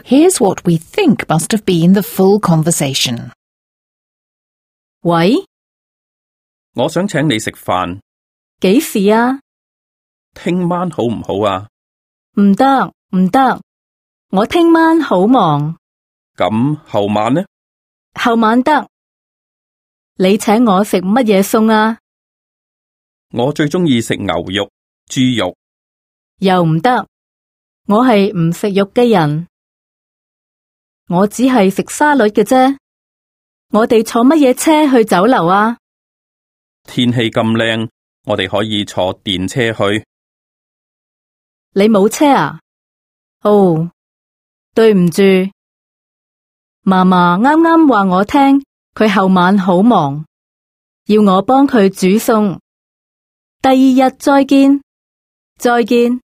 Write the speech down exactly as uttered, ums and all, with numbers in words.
Here's what we think must have been the full conversation. 喂，我想請你食飯，幾時啊？聽晚好唔好啊？唔得，唔得，我聽晚好忙。咁後晚呢？後晚得。你請我食乜嘢餸啊？我最鍾意食牛肉、豬肉。又唔得，我係唔食肉嘅人。我只係食沙律嘅啫。我哋坐乜嘢車去酒樓啊？天氣咁靚，我哋可以坐電車去。你冇車啊？哦，對唔住。嫲嫲啱啱話我聽，佢後晚好忙，要我幫佢煮餸。第二日再見，再見。